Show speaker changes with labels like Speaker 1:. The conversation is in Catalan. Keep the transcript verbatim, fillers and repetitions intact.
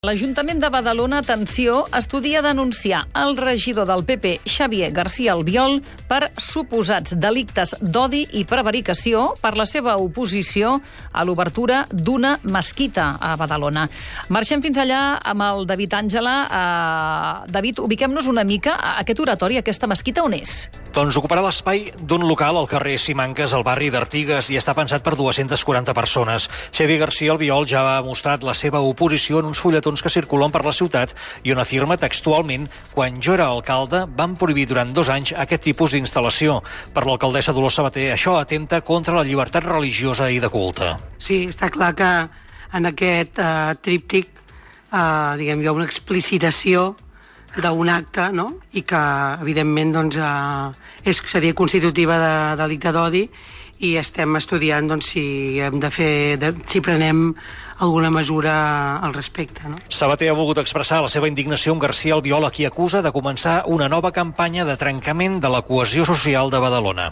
Speaker 1: L'Ajuntament de Badalona, atenció, estudia denunciar el regidor del P P, Xavier García Albiol, per suposats delictes d'odi i prevaricació per la seva oposició a l'obertura d'una mesquita a Badalona. Marxem fins allà amb el David Àngela. Uh, David, ubiquem-nos una mica. Aquest oratori, aquesta mesquita, on és?
Speaker 2: Doncs ocuparà l'espai d'un local al carrer Simancas, al barri d'Artigues, i està pensat per dues-centes quaranta persones. Xavier García Albiol ja ha mostrat la seva oposició en uns fulletons que circulen per la ciutat i on afirma textualment: quan jo era alcalde van prohibir durant dos anys aquest tipus d'instal·lació. Per l'alcaldessa Dolors Sabater, això atempta contra la llibertat religiosa i de culte.
Speaker 3: Sí, està clar que en aquest uh, tríptic uh, diguem, hi ha una explicitació d'un acte, no? I que, evidentment, doncs, uh, és, seria constitutiva de delicte d'odi, i estem estudiant doncs, si hem de fer, de, si prenem alguna mesura al respecte. No?
Speaker 2: Sabater ha volgut expressar la seva indignació amb García Albiol, a qui acusa de començar una nova campanya de trencament de la cohesió social de Badalona.